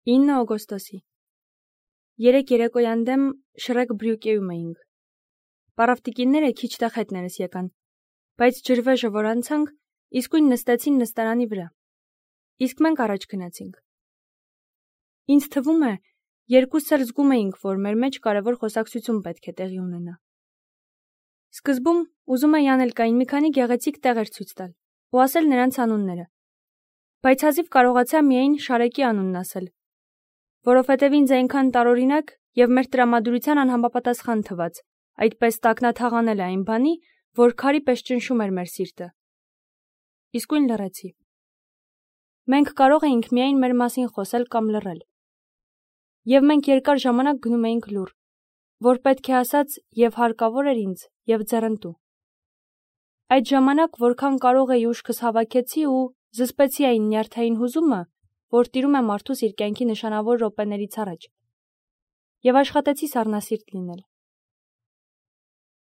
9 օգոստոսի։ Երեկ երեկոյան դեմ Շրեկ Բրյուկեում էինք։ Պարավտիկինները քիչ տեղ հետներս եկան, բայց ջրվեժը որ անցանք, իսկույն նստեցին նստարանի վրա։ Իսկ մենք առաջ գնացինք։ Ինձ թվում է, երկուսս էլ զգում էինք, որ մեր մեջ կարևոր խոսակցություն պետք է տեղի ունենա։ Սկզբում ուզում էի Անելկային մի քանի գեղեցիկ տեղեր ցույց տալ ու ասել նրանց անունները, բայց հազիվ կարողացա միայն Շարեկի անունն ասել, որովհետև ինձ այնքան տարօրինակ և մեր տրամադրության անհամապատասխան թվաց, այդպես տակնաթաղանել այն բանի, որ քարի պես ճնշում էր մեր սիրտը։ Իսկույն լռեցի։ Մենք կարող էինք միայն մեր մասին խոսել կամ լռել։ Եվ մենք երկար ժամանակ գնում էինք լուռ, որ պետք է ասած և հարկավոր էր ինձ, և ձեռնտու։ Այդ ժամանակ որքան կարող էի ուշքս հավաքեցի ու զսպեցի այն նյարդային հուզումը, որ տիրում է մարդուս իր կյանքի նշանավոր րոպեներից առաջ, և աշխատեցի սառնասիրտ լինել։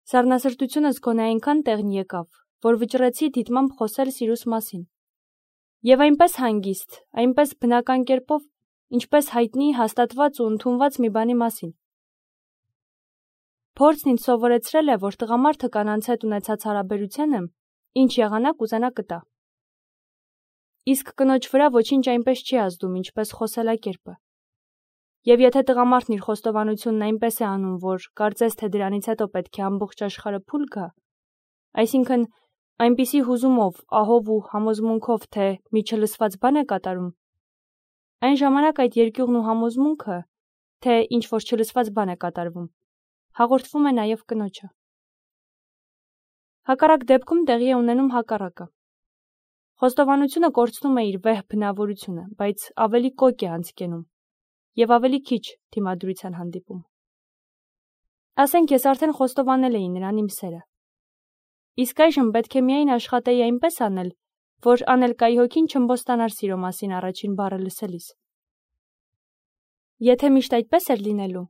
Սառնասրտությունս գոնե այնքան տեղն եկավ, որ վճռեցի դիտմամբ խոսել սիրուս մասին։ Եվ այնպես հանգիստ, այնպես բնական կերպով, ինչպես հայտնի, հաստատված ու ընդունված մի բանի մասին։ Փորձն ինձ սովորեցրել է, որ տղամարդը կանանց հետ ունեցած հարաբերությանը ինչ եղանակ ուզենա կտա։ Իսկ կնոջ վրա ոչինչ այնպես չի ազդում, ինչպես խոսելակերպը։ Եվ եթե տղամարդն իր խոստովանությունն այնպես է անում, որ կարծես թե դրանից հետո պետք է ամբողջ աշխարհը փուլ գա, այսինքն այնպիսի հուզումով, ահով ու համոզմունքով, թե մի չլսված բան է կատարում, այն ժամանակ այդ երկյուղն ու համոզմունքը, թե ինչ-որ չլսված բան է կատարվում, հաղորդվում է նաև կնոջը։ Հակառակ դեպքում տեղի է ունենում հակառակը։ Խոստովանությունը կորցնում է իր վեհ բնավորությունը, բայց ավելի կոկ է անցկենում և ավելի քիչ դիմադրության հանդիպում։ Ասենք ես արդեն խոստովանել էի նրան իմ սերը։ Իսկ այժմ պետք է միայն աշխատեի այնպես անել, որ Անելկայի հոգին չըմբոստանար սիրո մասին առաջին բառը լսելիս։ Եթե միշտ այդպես էր լինելու,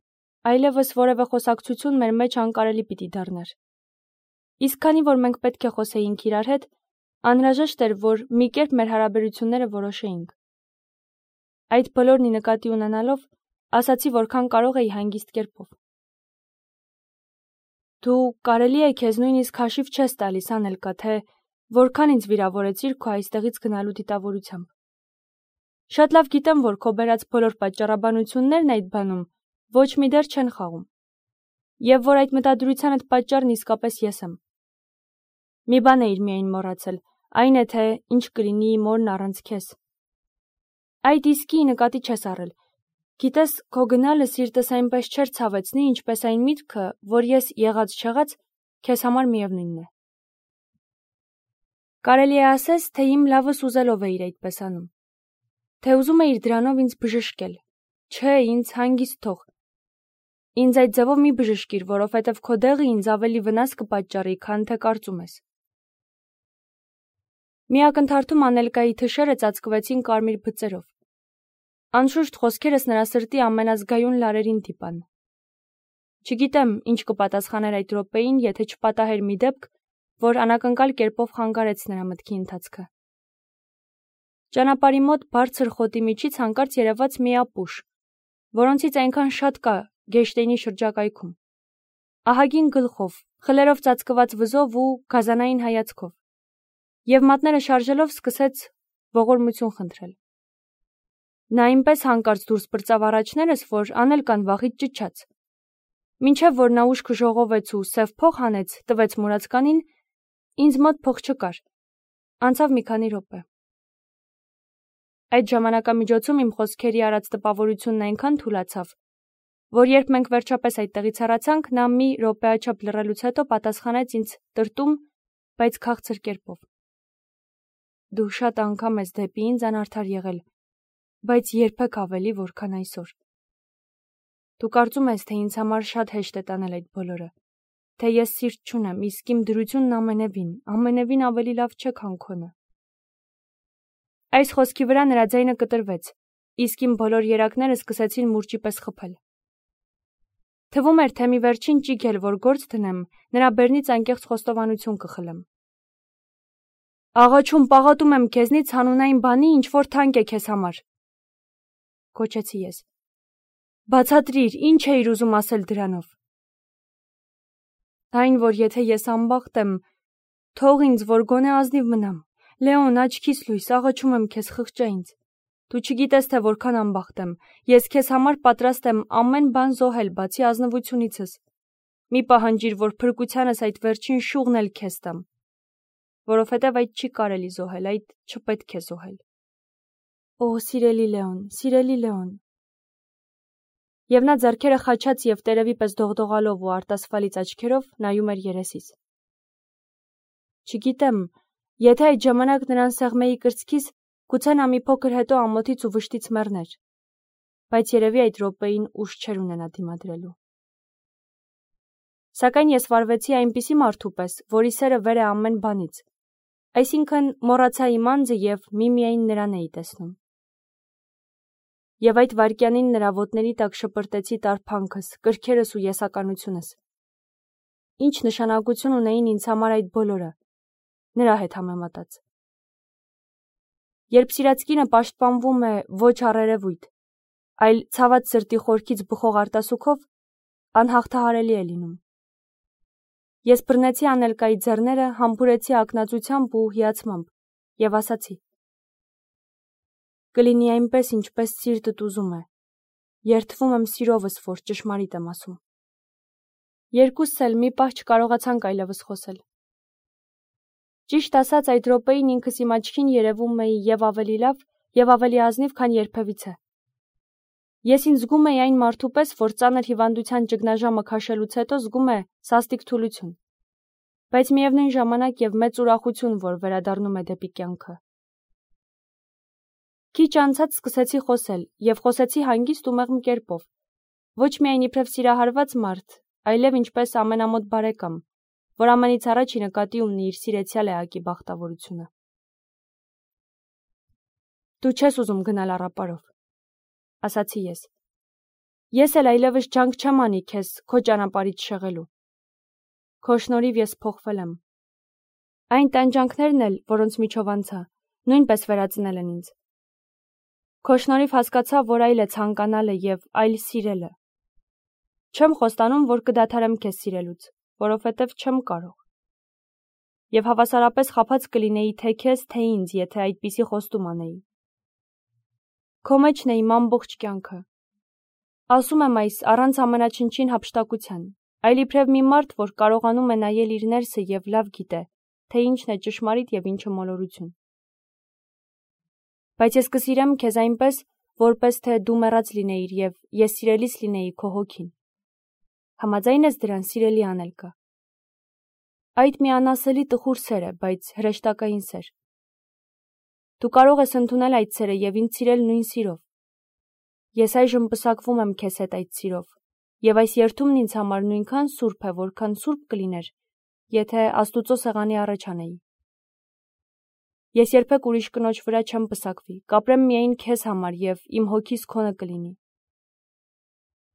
այլևս որևէ խոսակցություն մեր մեջ անկարելի պիտի դառնար։ Իսկ քանի որ մենք պետք է խոսեինք իրար հետ, անհրաժեշտ էր, որ մի կերպ մեր հարաբերությունները որոշեինք։ Այդ բոլորն ի նկատի ունենալով, ասացի, որքան կարող էի հանգիստ կերպով։ Դու կարելի է քեզ նույնիսկ հաշիվ չես տալիս, Անելկա, թե որքան ինձ վիրավորեցիր քո այստեղից գնալու դիտավորությամբ։ Շատ լավ գիտեմ, որ քո բերած բոլոր պատճառաբանություններն այդ բանում ոչ մի դեր չեն խաղում, և որ այդ մտադրությանդ պատճառն իսկապես ես եմ։ Մի բան էիր միայն մոռացել, այն է, թե ինչ կլինի իմ օրն առանց քեզ։ Այդ իսկի նկատի չես առել։ Գիտես, քո գնալը սիրտս այնպես չէր ցավեցնի, ինչպես այն միտքը, որ ես եղած-չեղած քեզ համար միևնույնն է։ Կարելի է ասես, թե իմ լավս ուզելով էիր այդպես անում, թե ուզում էիր դրանով ինձ բժշկել։ Չէ, ինձ հանգիստ թող։ Ինձ այդ ձևով մի բժշկիր, որովհետև քո դեղը ինձ ավելի վնաս կպատճառի, քան թե կարծում ես։ Մի ակնթարթում Անելկայի թշերը ծածկվեցին կարմիր բծերով։ Անշուշտ խոսքերս նրա սրտի ամենազգայուն լարերին դիպան։ Չգիտեմ, ինչ կպատասխաներ այդ րոպեին, եթե չպատահեր մի դեպք, որ անակնկալ կերպով խանգարեց նրա մտքի ընթացքը։ Ճանապարհի մոտ բարձր խոտի միջից հանկարծ երևաց մի ապուշ, որոնցից այնքան շատ կա Գեշտեյնի շրջակայքում։ Ահագին գլխով, խլերով ծածկված վզով ու գազանային հայացքով։ Եվ մատները շարժելով սկսեց ողորմություն խնդրել։ Նա այնպես հանկարծ դուրս պրծավ առաջներս, որ Անելկան վախից ճչաց։ Մինչև որ նա ուշքը ժողովեց ու սև փող հանեց, տվեց մուրացկանին, ինձ մոտ փող չկար։ Անցավ մի քանի րոպե։ Այդ ժամանակամիջոցում իմ խոսքերի արած տպավորությունն այնքան թուլացավ, որ երբ մենք վերջապես այդտեղից հեռացանք, նա մի րոպեաչափ լռելուց հետո պատասխանեց ինձ տրտում, բայց քաղցր կերպով։ Դու շատ անգամ ես դեպի ինձ անարդար եղել, բայց երբեք ավելի, որքան այսօր։ Դու կարծում ես, թե ինձ համար շատ հեշտ է տանել այդ բոլորը, թե ես սիրտ չունեմ, իսկ իմ դրությունն ամենևին ավելի լավ չէ, քան քոնը։ Այս խոսքի վրա նրա ձայնը կտրվեց, իսկ իմ բոլոր երակները սկսեցին մուրճի պես խփել։ Թվում էր, թե մի վերջին ճիգ էլ որ գործ դնեմ, նրա բերնից անկեղծ խոստովանություն կխլեմ։ Աղաչում, պաղատում եմ քեզնից հանուն այն բանի, ինչ որ թանկ է քեզ համար։ Կոչեցի ես։ Բացատրիր, ինչ էիր ուզում ասել դրանով։ Այն, որ եթե ես անբախտ եմ, թող ինձ, որ գոնե ազնիվ մնամ։ Լեոն, աչքիս լույս, աղաչում եմ քեզ, խղճա ինձ։ Դու չգիտես, թե որքան անբախտ եմ։ Ես քեզ համար պատրաստ եմ ամեն բան զոհել, բացի ազնվությունիցս։ Մի պահանջիր, որ փրկությանս այդ վերջին շուղն էլ քեզ տամ։ Որովհետև այդ չի կարելի զոհել, այդ չպետք է զոհել։ Օ, սիրելի Լեոն։ Եվ նա ձեռքերը խաչած և տերևի պես դողդողալով ու արտասվալից աչքերով նայում էր երեսիս։ Չգիտեմ, եթե այդ ժամանակ նրան սեղմեի կրծքիս, գուցե նա մի փոքր հետո ամոթից ու վշտից մեռներ, բայց երևի այդ րոպեին ուժ չէր ունենա դիմադրելու։ Սակայն ես վարվեցի այնպիսի մարդու պես, որի սերը վեր է ամեն բանից, այսինքն մոռացա իմ անձը և միմիայն նրան էի տեսնում։ Եվ այդ վայրկյանին նրա ոտների տակ շպրտեցի տարփանքս, կրքերս ու եսականությունս։ Ինչ նշանակություն ունեին ինձ համար այդ բոլորը, նրա հետ համեմատած։ Երբ սիրած կինը պաշտպանվում է ոչ առերևույթ, այլ ցաված սրտի խորքից բխող արտասուքով, անհաղթահարելի է լինում։ Ես բռնեցի Անելկայի ձեռները, համբուրեցի ակնածությամբ ու հիացմամբ և ասացի. Կլինի այնպես, ինչպես սիրտդ ուզում է։ Երդվում եմ սիրովս, որ ճշմարիտ եմ ասում։ Երկուսս էլ մի պահ չկարողացանք այլևս խոսել։ Ճիշտ ասած, այդ րոպեին ինքս իմ աչքին երևում էի և ավելի լավ, և ավելի ազնիվ, քան երբևիցե։ Ես ինձ զգում էի այն մարդու պես, որ ծանր հիվանդության ճգնաժամը քաշելուց հետո զգում է սաստիկ թուլություն, բայց միևնույն ժամանակ և մեծ ուրախություն, որ վերադառնում է դեպի կյանքը։ Քիչ անցած սկսեցի խոսել, և խոսեցի հանգիստ ու մեղմ կերպով, ոչ միայն իբրև սիրահարված մարդ, այլև ինչպես ամենամոտ բարեկամ, որ ամենից առաջ ի նկատի ունի իր սիրեցյալ էակի բախտավորությունը։ Դու չես ուզում գնալ առապարով, ասացի ես։ Ես էլ այլևս ջանք չեմ անի քեզ քո ճանապարհից շեղելու։ Քո շնորհիվ ես փոխվել եմ։ Այն տանջանքներն էլ, որոնց միջով անցա, նույնպես վերածնել են ինձ։ Քո շնորհիվ հասկացա, որ այլ է ցանկանալը և այլ սիրելը։ Չեմ խոստանում, որ կդադարեմ քեզ սիրելուց, որովհետև չեմ կարող։ Եվ հավասարապես խաբած կլինեի թե քեզ, թե ինձ, եթե այդպիսի խոստում անեի։ Քո մեջն է իմ ամբողջ կյանքը։ Ասում եմ այս առանց ամենաչնչին հափշտակության, այլ իբրև մի մարդ, որ կարողանում է նայել իր ներսը և լավ գիտե, թե ինչն է ճշմարիտ և ինչը մոլորություն։ Բայց ես կսիրեմ քեզ այնպես, որպես թե դու մեռած լինեիր և ես սիրելիս լինեի քո հոգին։ Համաձայն ես դրան, սիրելի Անելկա։ Այդ մի անասելի տխուր սեր է, բայց հրեշտակային սեր։ Դու կարող ես ընդունել այդ սերը և ինձ սիրել նույն սիրով։ Ես այժմ պսակվում եմ քեզ հետ այդ սիրով, և այս երդումն ինձ համար նույնքան սուրբ է, որքան սուրբ կլիներ, եթե Աստուծո սեղանի առաջ անեի։ Ես երբեք ուրիշ կնոջ վրա չեմ պսակվի, կապրեմ միայն քեզ համար և իմ հոգիս քոնը կլինի։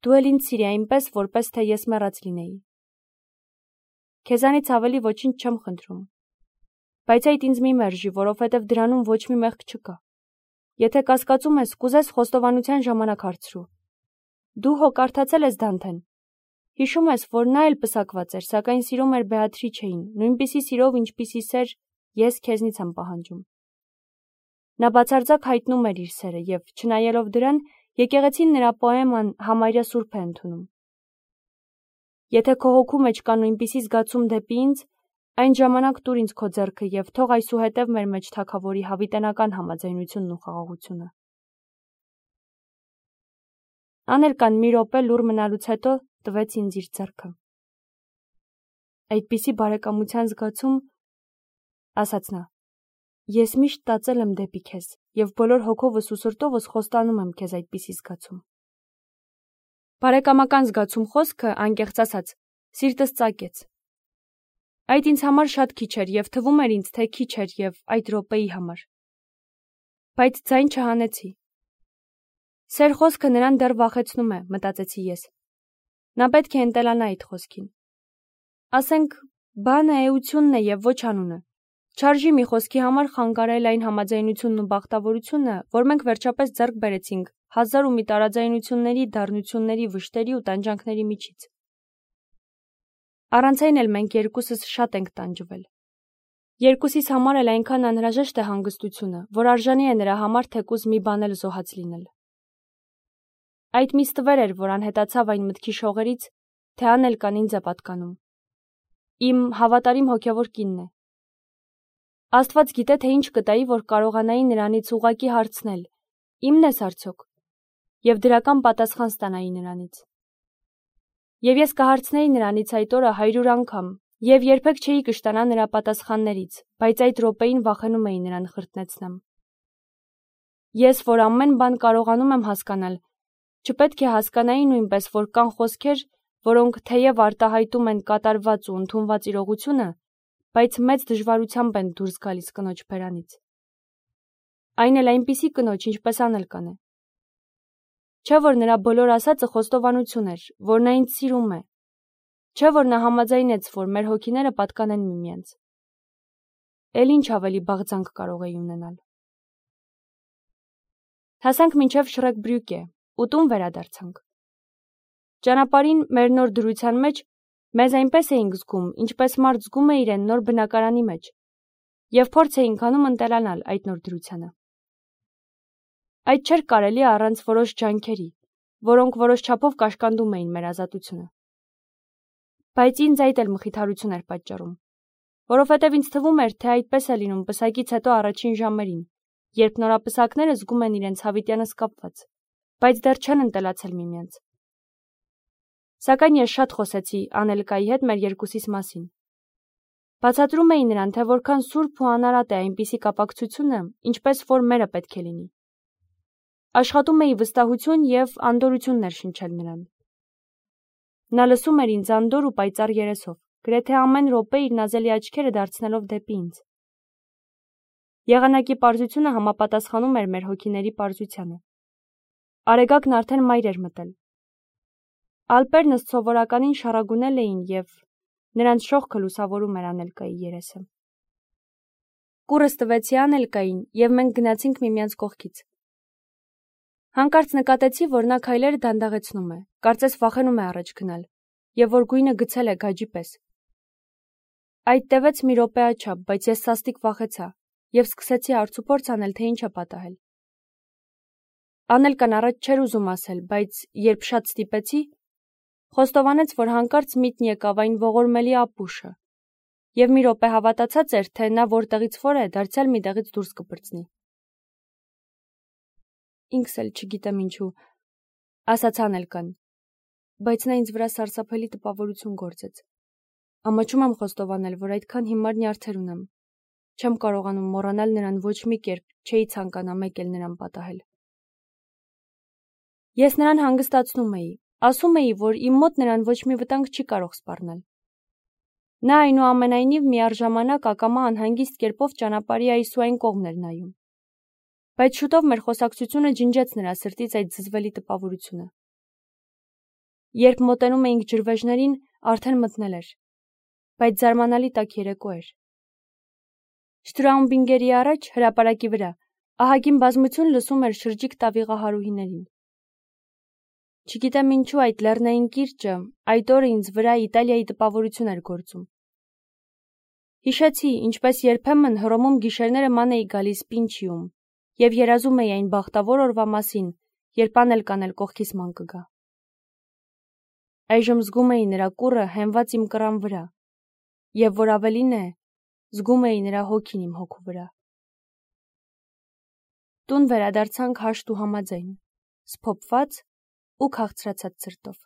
Դու էլ ինձ սիրի այնպես, որպես թե ես մեռած լինեի։ Քեզանից ավելի ոչինչ չեմ խնդրում։ Բայց այդ ինձ մի մերժի, որովհետև դրանում ոչ մի մեղք չկա։ Եթե կասկածում ես, կուզես խոստովանության ժամանակ հարցրու։ Դու հո կարդացել ես Դանթեն։ Հիշում ես, որ նա էլ պսակված էր, սակայն սիրում էր Բեատրիչեին, նույնպիսի սիրով, ինչպիսի սեր ես քեզնից եմ պահանջում։ Նա բացարձակ հայտնում էր իր սերը և, չնայելով դրան, եկեղեցին նրա պոեման համարյա սուրբ է ընդունում։ Եթե քո հոգու մեջ կա նույնպիսի զգացում դեպի ինձ, այն ժամանակ տուր ինձ քո ձեռքը և թող այսուհետև մեր մեջ թագավորի հավիտենական համաձայնությունն ու խաղաղությունը։ Անելկան մի րոպե լուռ մնալուց հետո տվեց ինձ իր ձեռքը։ Այդպիսի բարեկամության զգացում, ասաց նա, ես միշտ տածել եմ դեպի քեզ և բոլոր հոգովս ու սրտովս խոստանում եմ քեզ այդպիսի զգացում։ Բարեկամական զգացում խոսքը, անկեղծ ասած, սիրտս ծակեց։ Այդ ինձ համար շատ քիչ էր և թվում էր ինձ, թե քիչ էր և այդ րոպեի համար։ Բայց ձայն չհանեցի։ Սեր խոսքը նրան դեռ վախեցնում է, մտածեցի ես։ Նա պետք է ընտելանա այդ խոսքին։ Ասենք, բանը էությունն է և ոչ անունը։ Չարժի մի խոսքի համար խանգարել այն համաձայնությունն ու բախտավորությունը, որ մենք վերջապես ձեռք բերեցինք հազար ու մի տարաձայնությունների, դառնությունների, վշտերի ու տանջանքների միջից։ Առանց այն էլ մենք երկուսս շատ ենք տանջվել։ Երկուսիս համար էլ այնքան անհրաժեշտ է հանգստությունը, որ արժանի է նրա համար թեկուզ մի բան էլ զոհած լինել։ Այդ մի ստվեր էր, որ անհետացավ այն մտքի շողերից, թե անել կան ինձ է պատկանում։ Իմ հավատարիմ հոգևոր կինն է։ Աստված գիտե, թե ինչ կտայի, որ կարողանայի նրանից ուղղակի հարցնել. իմն ես արդյոք, եւ դրական պատասխան ստանայի նրանից։ Եվ ես կհարցնեի նրանից այդ օրը 100 անգամ, եւ երբեք չէի կշտանա նրա պատասխաններից, բայց այդ րոպեին վախենում էի նրան խրտնեցնեմ։ Ես, որ ամեն բան կարողանում եմ հասկանալ, չպետք է հասկանայի նույնպես, որ կան խոսքեր, որոնք թեև արտահայտում են կատարված ու ընդունված իրողությունը, բայց մեծ դժվարությամբ են դուրս գալիս կնոջ բերանից։ Այն էլ այնպիսի կնոջ, ինչպես Անել կանե։ Չէ՞ որ նրա բոլոր ասածը խոստովանություն էր, որ նա ինձ սիրում է։ Չէ՞ որ նա համաձայնեց, որ մեր հոգիները պատկանեն միմյանց։ Էլ ինչ ավելի բաղձանք կարող էի ունենալ։ Հասանք մինչև Շրեկբրյուկե, ու տուն վերադարձանք։ Ճանապարհին մեր նոր դրության մեջ մեզ այնպես էինք զգում, ինչպես մարդ զգում է իրեն նոր բնակարանի մեջ, եւ փորձ էինք անում ընտելանալ այդ նոր դրությանը։ Այդ չէր կարելի առանց որոշ ջանքերի, որոնք որոշ չափով կաշկանդում էին մեր ազատությունը։ Բայց ինձ այդ էլ մխիթարություն էր պատճառում, որովհետև ինձ թվում էր, թե այդպես է լինում պսակից հետո առաջին ժամերին, երբ նորապսակները զգում են իրենց հավիտյանս կապված, բայց դեռ չեն ընտելացել միմյանց։ Սակայն ես շատ խոսեցի Անելկայի հետ մեր երկուսիս մասին։ Բացատրում էի նրան, թե որքան սուրբ ու անարատ է այնպիսի կապակցությունը, ինչպես որ մերը պետք է լինի։ Աշխատում էի վստահություն եւ անդորություն ներշնչել նրան։ Նա լսում էր ինձ անդոր ու պայծառ երեսով, գրեթե ամեն րոպե իր նազելի աչքերը դարձնելով դեպի ինձ։ Եղանակի պարզությունը համապատասխանում էր մեր հոգիների պարզությանը։ Արեգակն արդեն մայր էր մտել։ Ալպերն ըստ սովորականին շառագունել էին եւ նրանց շողքը լուսավորում էր Անելկայի երեսը։ Կուրս տվեցի Անելկային եւ մենք գնացինք միմյանց կողքից։ Հանկարծ նկատեցի, որ նա քայլերը դանդաղեցնում է, կարծես վախենում է առաջ գնալ, եւ որ գույնը գցել է գաջի պես։ Այդ տևեց մի րոպեաչափ, բայց ես սաստիկ վախեցա եւ սկսեցի արցուփորձ անել, թե ինչ է պատահել։ Անելկան առաջ չէր ուզում ասել, բայց երբ շատ ստիպեցի, խոստովանեց, որ հանկարծ միտն եկավ այն ողորմելի ապուշը, եւ մի րոպե հավատացած էր, թե նա որտեղից որ է, դարձյալ մի տեղից դուրս կպրծնի։ Ինքս էլ չգիտեմ ինչու, ասաց Անելկան, բայց նա ինձ վրա սարսափելի տպավորություն գործեց։ Ամաչում եմ խոստովանել, որ այդքան հիմար նյարդեր ունեմ։ Չեմ կարողանում մոռանալ նրան ոչ մի կերպ, չէի ցանկանա մեկ էլ նրան պատահել։ Ես նրան հանգստացնում էի, ասում էի, որ իմ մոտ նրան ոչ մի վտանգ չի կարող սպառնել։ Նա այնուամենայնիվ միառժամանակ ակամա անհանգիստ կերպով ճանապարհի այս ու այն կողմն էր նայում։ Բայց շուտով մեր խոսակցությունը ջնջեց նրա սրտից այդ զզվելի տպավորությունը։ Երբ մոտենում էինք ջրվեժներին, արդեն մթնել էր, բայց զարմանալի տաք երեկո էր։ Շտրաումբինգերի առաջ, հրապարակի վրա, ահագին բազմություն լսում էր շրջիկ տավիղահարուհիներին։ Չգիտեմ ինչու այդ լեռնային կիրճը այդ օրը ինձ վրա Իտալիայի տպավորություն էր գործում։ Հիշեցի, ինչպես երբեմն Հռոմում գիշերները ման էի գալիս Պինչիում եւ երազում էի այն բախտավոր օրվա մասին, երբ Անելկան էլ կողքիս ման կգա։ Այժմ զգում էի նրա կուռը հենված իմ կռան վրա, եւ որ ավելին է, զգում էի նրա հոգին իմ հոգու վրա։ Տուն վերադարձանք հաշտ ու համաձայն, սփոփված ու քաղցրացած սրտով։